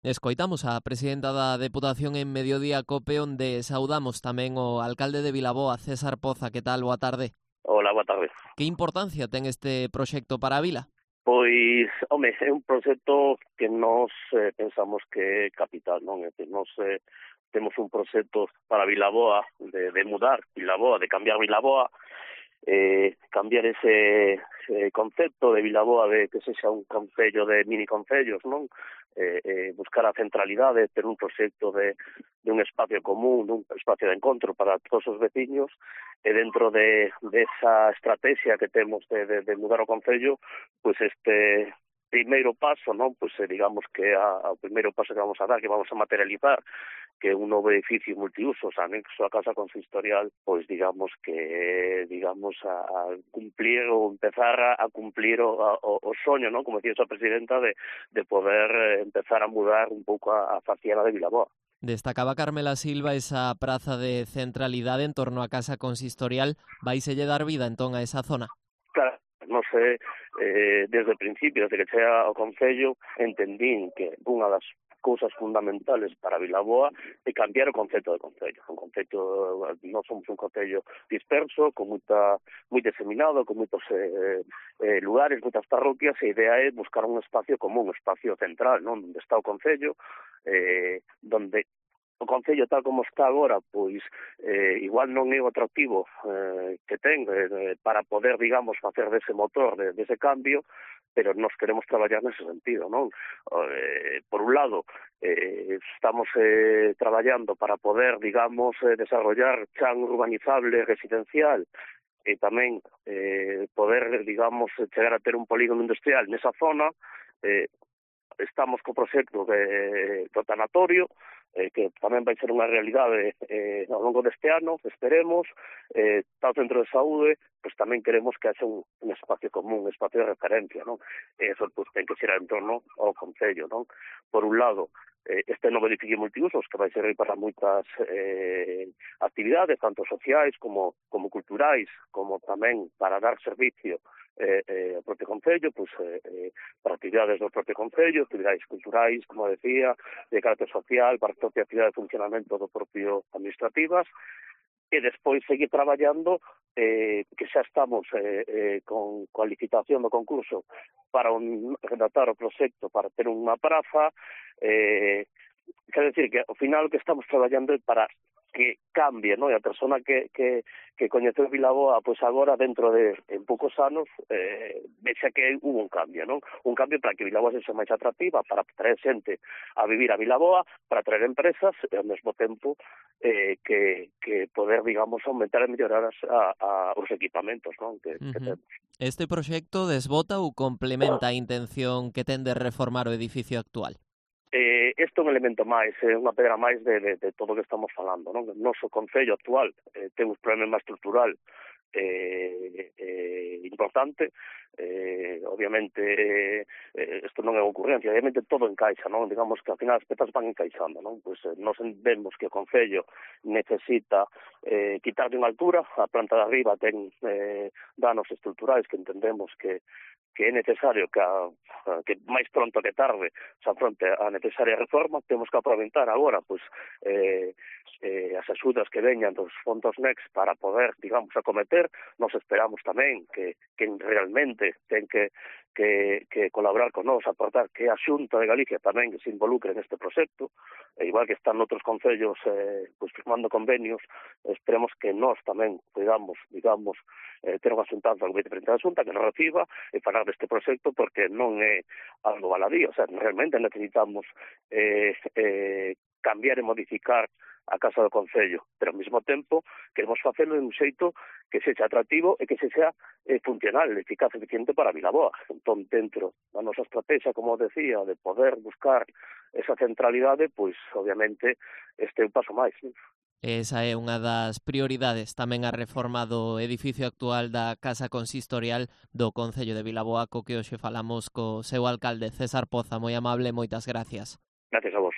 Escoitamos a presidenta da Deputación en Mediodía Cope, onde saudamos tamén o alcalde de Vilaboa, César Poza. Que tal? Boa tarde. Hola, boa tarde. Que importancia ten este proxecto para a vila? Pois, home, é un proxecto que nos pensamos que é capital, non? É que nos temos un proxecto para Vilaboa de mudar Vilaboa, de cambiar Vilaboa, cambiar ese concepto de Vilaboa de que sexa un concello de mini concellos, non? Buscar a centralidade, ter un proxecto de un espacio común, un espacio de encontro para todos os veciños, e dentro de esa estrategia que temos de mudar o concello, pois este primeiro paso, non? Pois digamos que o primeiro paso que vamos a dar, que vamos a materializar, que un novo edificio multiusos anexo a Casa Consistorial, pois digamos que a cumplir ou empezar a cumplir o soño, non? Como decía a presidenta, de poder empezar a mudar un pouco a faciana de Vilaboa. Destacaba Carmela Silva esa praza de centralidade en torno a Casa Consistorial. Vaiselle dar vida entón a esa zona? Claro, non sei, desde o principio, desde que chega ao Concello, entendín que unha das cousas fundamentales para Vilaboa é cambiar o concepto de Concello. Un concepto, non somos un Concello disperso, moi diseminado, con moitos lugares, moitas parroquias, e a idea é buscar un espacio común, un espacio central, non? Onde está o Concello, donde o Concello tal como está agora, pois igual non é o atractivo que ten para poder, digamos, facer dese motor, dese cambio, pero nos queremos traballar nese sentido, non? Por un lado, estamos traballando para poder, digamos, desarrollar chan urbanizable residencial e tamén poder, digamos, chegar a ter un polígono industrial nesa zona. Estamos co proxecto do tanatorio, que tamén vai ser unha realidade ao longo deste ano, esperemos. Está o centro de saúde, pois tamén queremos que haxa un espacio común, un espacio de referencia, non? E eso pois, ten que ser en torno ao Concello, non? Por un lado, este novo edificio multiusos que vai servir para moitas actividades, tanto sociais como culturais, como tamén para dar servicio ao propio Concello, pois, para actividades do propio Concello, actividades culturais, como decía, de carácter social, para a propia actividade de funcionamento do propio administrativas, e despois seguir traballando, que xa estamos con a licitación do concurso para redactar o proxecto para ter unha praza, quer decir que ao final o que estamos traballando é para que cambie, non? E a persona que coñeceu Vilaboa, pois agora dentro de en poucos anos vexa que hubo un cambio, non? Un cambio para que Vilaboa sexa máis atractiva, para traer xente a vivir a Vilaboa, para traer empresas e ao mesmo tempo que poder, digamos, aumentar e mellorar os equipamentos, non? Que temos. Este proxecto desbota ou complementa a intención que ten de reformar o edificio actual? Este é un elemento máis, unha pedra máis de todo o que estamos falando, non? O noso Concello actual ten un problema estrutural importante, obviamente isto non é ocurrencia, obviamente todo encaixa, non? Digamos que ao final as pezas van encaixando, non? Pois nos vemos que o Concello necesita quitar de unha altura, a planta de arriba ten danos estruturais que entendemos que é necesario que máis pronto que tarde se afronte a necesaria reforma. Temos que aproveitar agora pois as axudas que veñan dos fondos Next para poder, digamos, acometer. Nos esperamos tamén que realmente ten que colaborar con nós, aportar que a Xunta de Galicia tamén se involucre neste proxecto, igual que están outros concellos pois firmando convenios. Esperemos que nós tamén podamos, digamos, ter unha xuntanza con o vicepresidente da Xunta que nos reciba e falar deste proxecto, porque non é algo baladí, o sea, realmente necesitamos cambiar e modificar a Casa do Concello, pero ao mesmo tempo queremos facelo de un xeito que sexa atractivo e que sexa funcional, eficaz, eficiente para Vilaboa. Entón, dentro da nosa estrategia, como decía, de poder buscar esa centralidade, pois, obviamente, este é un paso máis, non? Esa é unha das prioridades, tamén a reforma do edificio actual da Casa Consistorial do Concello de Vilaboa, co que hoxe falamos co seu alcalde, César Poza. Moi amable, moitas gracias. Gracias a vos.